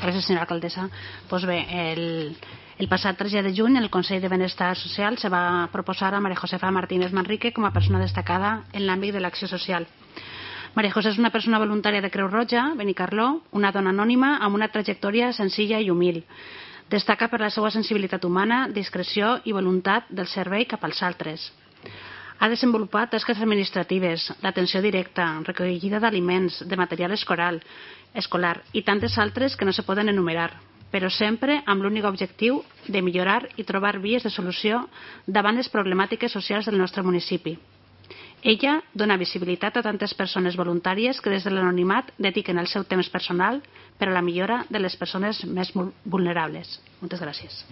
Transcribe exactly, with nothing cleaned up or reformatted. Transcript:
Gràcies, senyora alcaldessa. Pues bé, el, el passat tres de juny el Consell de Benestar Social se va proposar a María Josefa Martínez Manrique com a persona destacada en l'àmbit de l'acció social. María José és una persona voluntària de Creu Roja, Benicarló, una dona anònima amb una trajectòria senzilla i humil. Destaca per la seva sensibilitat humana, discreció i voluntat del servei cap als altres. Ha desenvolupat tasques administratives, l'atenció directa, recollida d'aliments, de material escolar, escolar i tantes altres que no se poden enumerar, però sempre amb l'únic objectiu de millorar i trobar vies de solució davant les problemàtiques socials del nostre municipi. Ella dona visibilitat a tantes persones voluntàries que des de l'anonimat dediquen el seu temps personal per a la millora de les persones més vulnerables. Moltes gràcies.